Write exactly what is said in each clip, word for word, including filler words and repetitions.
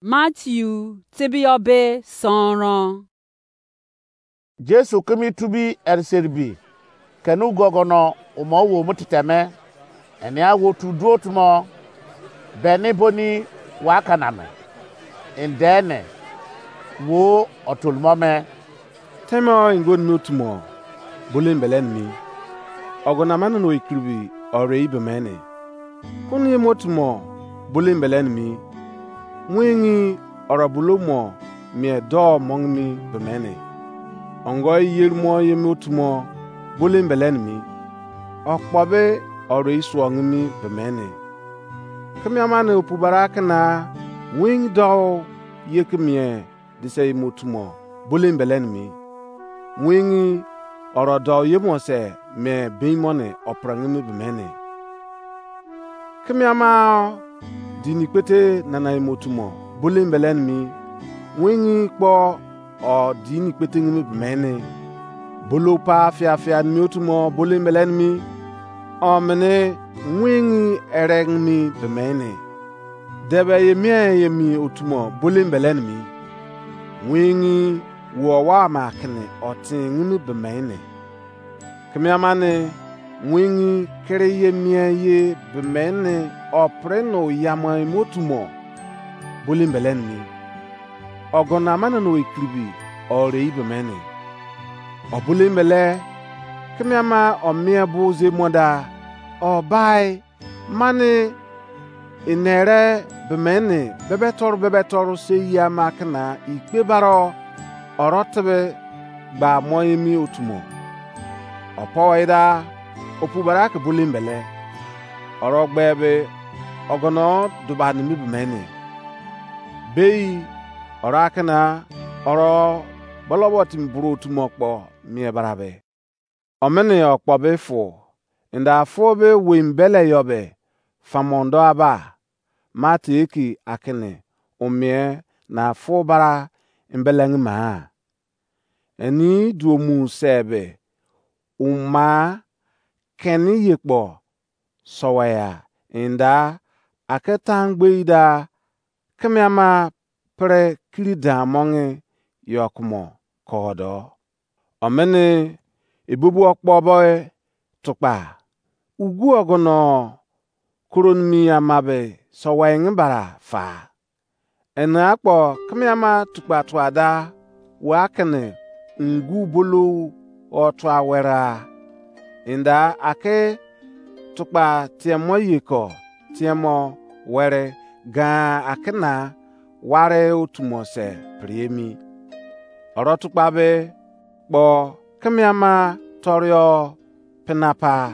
Matthew tebiyọ be sọnrọn. Jesu kimi tubi eriseribi keni ugogono umo wo mu titeme. Enia wo tu duo tumo beni boni wa kaname. Indene wo otolumo me. Teme o ingo nimi otumo bole mbele nimi. Ogo na mane no ikiribi ore ibe mene. Kunu ye mo tumo bole mbele nimi. Wingi oro bulo mo mie do mongimi bemene. Ongo iyeri mo ye mo tumo bole mbele nimi. Okpo be oro isuo ngimi bemene. Kemiama ne opu bara kena wingi do ye kemie dise imo tumo bole mbele nimi. Wingi oro do yemo se me beimone oprengimi bemene. Kemiama dini kpete nana imo tumo bole mbele nimi. Wingi kpo o dini kpete ngimi bemene. Bolo pa fia fia nimi otumo bole mbele nimi. Omene wingi ere ngimi bemene. Debe ye mie ye mi otumo bole mbele nimi. Wingi wo wa ma kene otin ngimi bemene. Kemiama ne wingi kere ye mie ye bemene opre no yama imo tumo bole mbele nimi. Ogo na mane no ikiribi ore ibe mene. Obole mbele kemiama omie bu ze moda obai mane inere bemene bebe toru bebe toru se yama kena ikpe baro oro tebe gba mo emi otumo. Opo ida opu bara ke bole mbele. Oro gbe be ogono duba nimi bemene. Bei oro akena oro bolobo timi buru otumo kpo mie barabe. Omene okpo be fu inda fu be wei mbele yo be famondo aba. Mate eki akene omie na fu bara mbeleng ma. Eni duo mu sebe uma keni ye kpo sowaya inda ake tangbe ida kemiama pre kiri dan monge yo kumo kodo. Omene ebubu okpo bo tukpa ugu ogono koronimi amabe sowenge bara fa. Ene akpo kemiama tukpa tuada wa kene ngu bolo otua wera. Inda ake tukpa tiemo yeko tiemo were gan akena ware otumo se priemi. Oro tukpa be kpo kemiama torio penapa.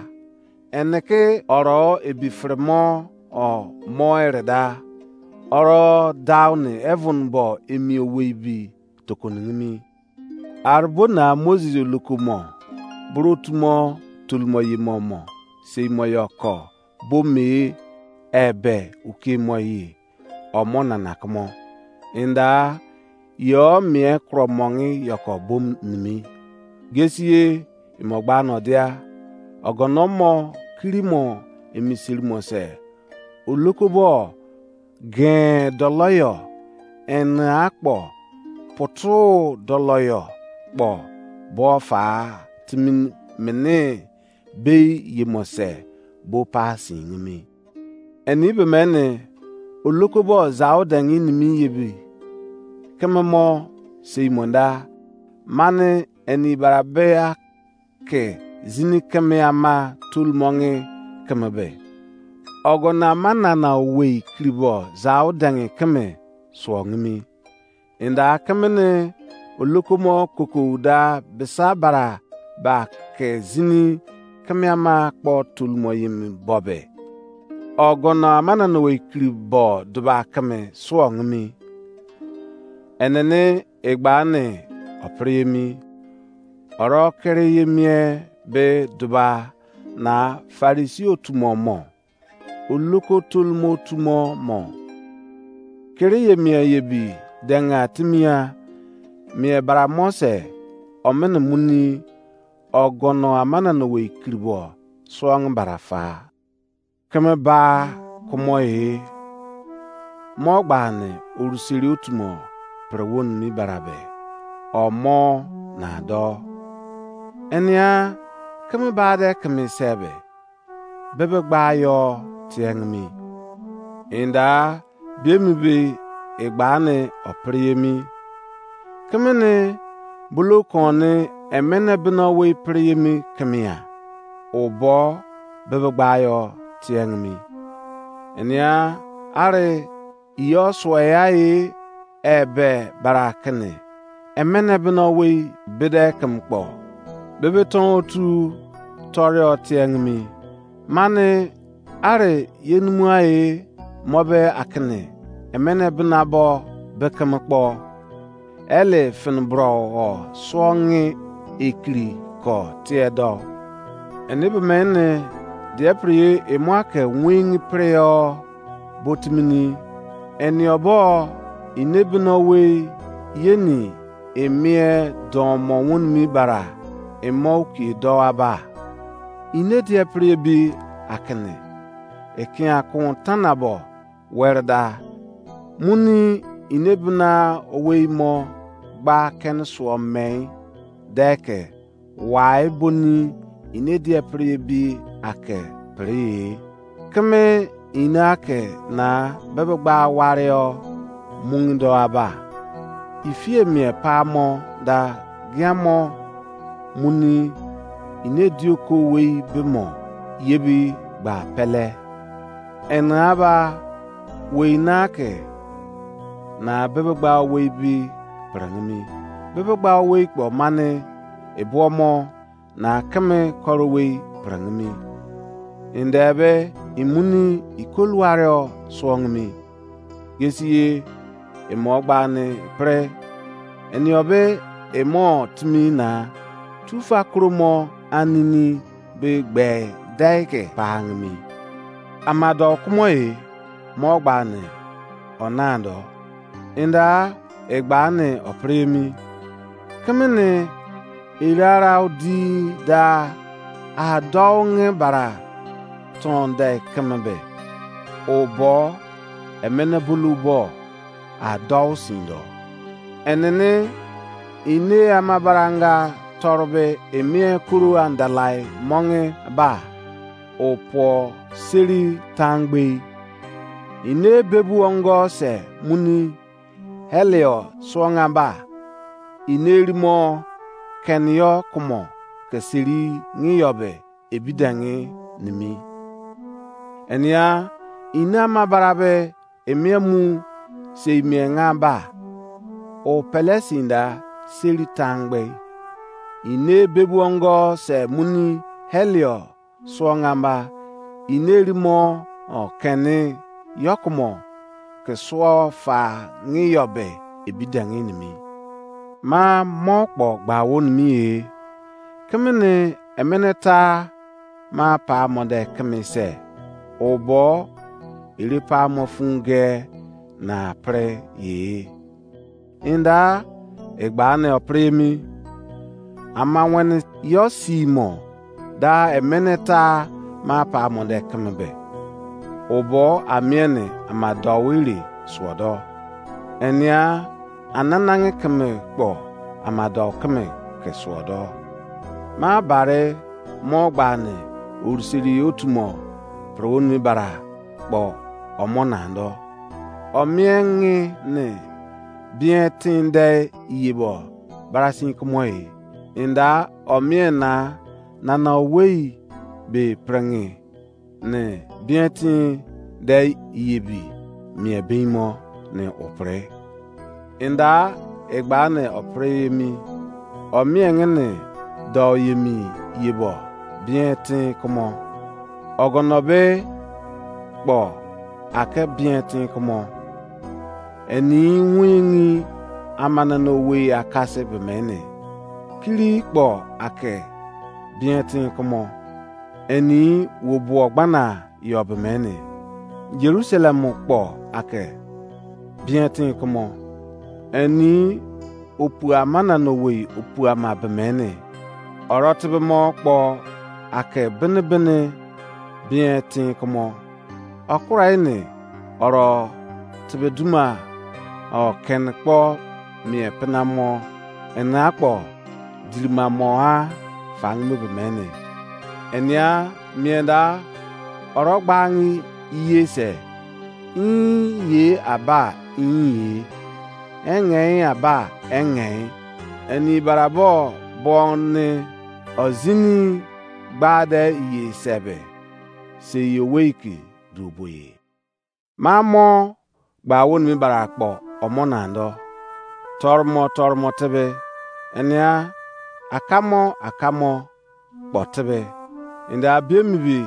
Eneke oro ebi fremo o mo ereda. Oro dauni heaven bo emi owei bi tokoningimi. Arbona Moses olokomo bro tumo tulumo yemo mo seimo yoko bo me ebe ukemo ye omo nana kumo. Inda yo mie kuro mongi yoko bom nimi. Gesiye imo gba no dia ogono mo kiri mo emisiri mo se olokobo gen doloyo ene akpo putu doloyo kpo bo fa timi mene bei yemo se bo pa singimi. Eni be mene olokobo zau dengi nimi yebi keme mo sei monda mane eni barabea ke zini keme ama tolmonge keme be. Ogo na manana owei kiribo zau dengi keme suo ngimi. Inda kemene olokomo kokou da bisa bara ba ke zini kemiama kpo tolumo yemi bobe. Ogono amananowe kiri bo duba keme suo ngimi. Enene egbane opiriyemi. Oro kere yemie be duba na Farisi otumo mo. Oloko tolumo otumo mo. Kere ye mie ye bi denga timia mie bara mo se omene muni ogono amananowe kiribo suong bara fa. Keme ba kumo e. mo gba ne oruseri otu mo pre wonimi bra be, o mo na do. Enia keme bade keme se be, bebe gba yo tiengimi. Inda biemi be egba ne o pre emi. Keme ne bulu kon ne emene bena wei pre emi kemia. O bo bebe gba yo tiengimi. Enia are iyo suoya e ebe bara kene emene bena wei bede keme kpo. Bebe ton otu torio tiengimi. Mane are ye numua e mo be akene emene bena bo bekeme kpo. Ele fene bro o suo nge ekiri ko tie do. Ene be mene die pre ye emo ake wengi pre o botimini. Ene obo ine bena wei yeni emie don mo wonimi bara emo ki do aba. Ine die pre bi akene ekia kun tana bo were da. Muni ine bena owei mo gba kene suo mei deke wai boni ine die pre bi ake pre. Keme ine ake na bebe gba ware o mungi do aba. Ifie mie pa mo da giamo muni ine dioko wei be mo yebi gba pele. Ena ba wei na ke na bebe gba wei bi prangimi. Bebe gba wei kpo mane ebuo mo na keme koro wei prangimi. Ende be imuni ikoluare o suongimi. Gesiye emo gba ne pre. Enio be emo timi na tufa kromo anini be gbe dai ke pangimi. Amado kumo e mo gba ne onando. Inda egba ne opremi. Kemene irara odi da adonge bara tonde kemebe. Obo emene bulu bo adou sindo. Enene ine amabaranga torbe emie kuru andalai monge ba. Opo seri tangbei. Ine bebu ongo se muni helio suonga ba. Ine rimo kenio kumo ke seri ngiyo be ebidangi nimi. Enia ine amabara be emie mu sei mie nga ba. O pele sinda seri tangbe. Ine bebu ongo se muni helio suo ngamba. Ine rimo o keni yokumo ke suo fa ngiyo be ebidangi nimi. Ma mo kpo gba wo nimi e. Kemene emene ta ma pa mo de keme se. Obo ere pa mo funge na pre ye. Inda egba ne opremi. Ama wene yo si mo da emene ta ma pa mo de keme be. Obo amiene ama dou ire suodo. Enia ananange keme kpo ama dou keme ke suodo. Ma bare mo gba ne orisiri otu mo pro ni bara kpo omo nando. Omiengi ne bien tinde iye bo barasin kumo e. Inda omien na nana owei be prengi ne bien tin de iye bi mie bimo ne opre. Inda egba ne opre emi. Omiengi ne dou yemi yebo bien tin kumo. Ogono be kpo ake bien tin kumo. Eni wingi amanano wei akase be mene. Kiri kpo ake bien tin kumo. Eni wo buo gbana yo be mene. Jerusalem kpo ake bien tin kumo. Eni opu amana no wei opu ama be mene. Oro tebe mo kpo ake bene bene bien tin kumo. Okura ene oro tebe duma o ken kpo mie pena mo, ena kpo dirima mo a fangi mo be mene. Enia mie da oro gbangi iye se, in ye aba in ye, engei aba engei, eni barabo bo ne ozini gba de iye sebe, se iye owei ke du bo ye. Ma mo gba woni mi bara akpo omo na do. Tormo tormo tebe, enia akamo akamo kpo tebe. Ende abiemi bi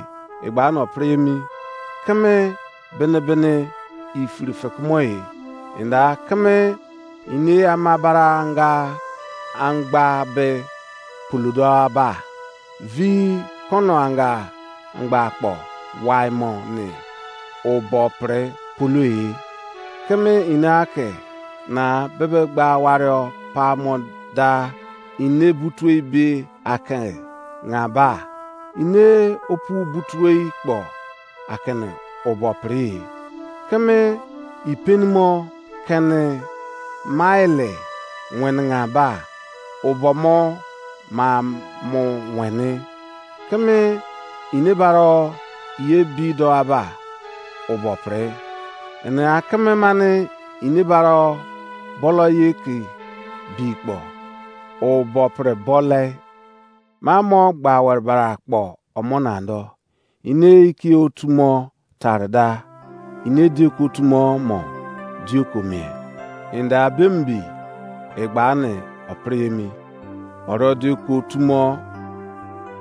egba no pri emi, keme bene bene ifiri fekemo e. Ende keme ine ama bara anga angba be puludo aba. Vi kono anga angba akpo wai mo ni obo pre pulu e. Keme ine ake na bebe gba wario pa mo da ine butue be ake nga ba. Ine opu butue kpo akene obo pre e. Keme ipenimo kene maile wenenga ba obo mo ma mo wene. Keme ine baro ye bi do aba obo pre. Ene akeme mane ine baro bolo ye ke bi kpo obo pre bole. Ma mo gba were bara akpo omo na do. Ine iki otumo tare da, ine dieko otumo mo dieko mie. Ende abembi egba ne opri emi. Oro dieko otumo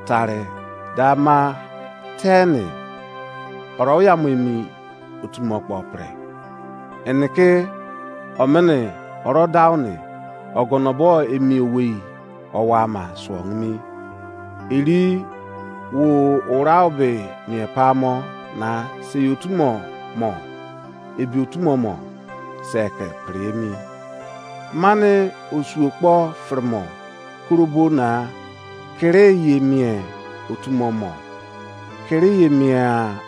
tare da ma teni oro ya mo emi otumo kpo pre. Eneke omene oro dauni ogono bo emi owei owa ma suo nimi. Eri wo urau be mie pamo na sei otumo mo, ebi otumo mo se ke pre emi. Mane osuo kpo firimo kurobo na kere ye mie otumo mo. Kere ye mie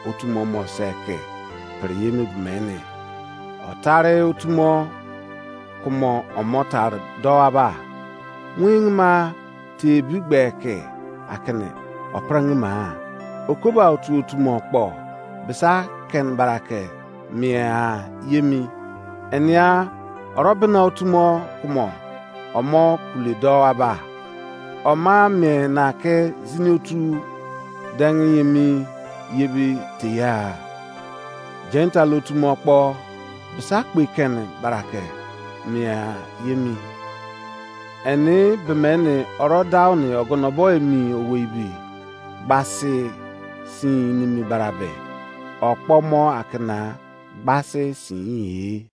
otumo mo se ke pre ye me bumene. Otare otumo kumo omo tare do aba. Wing ma te bi gbe ke akene oprang ma. Okoba otu otumo kpo bisa ken barake mie a yemi. Enia oro bena otumo kumo omo kule do aba. Oma mie na ke zini otu deng yemi yebi teya. Gentile otumo kpo bisa kpe ken barake mie a yemi. Eni bemeni oro dauni ogono bo emi owei bi gbasi sin nimi barabe. Okpo mo akena gbasi sin ye.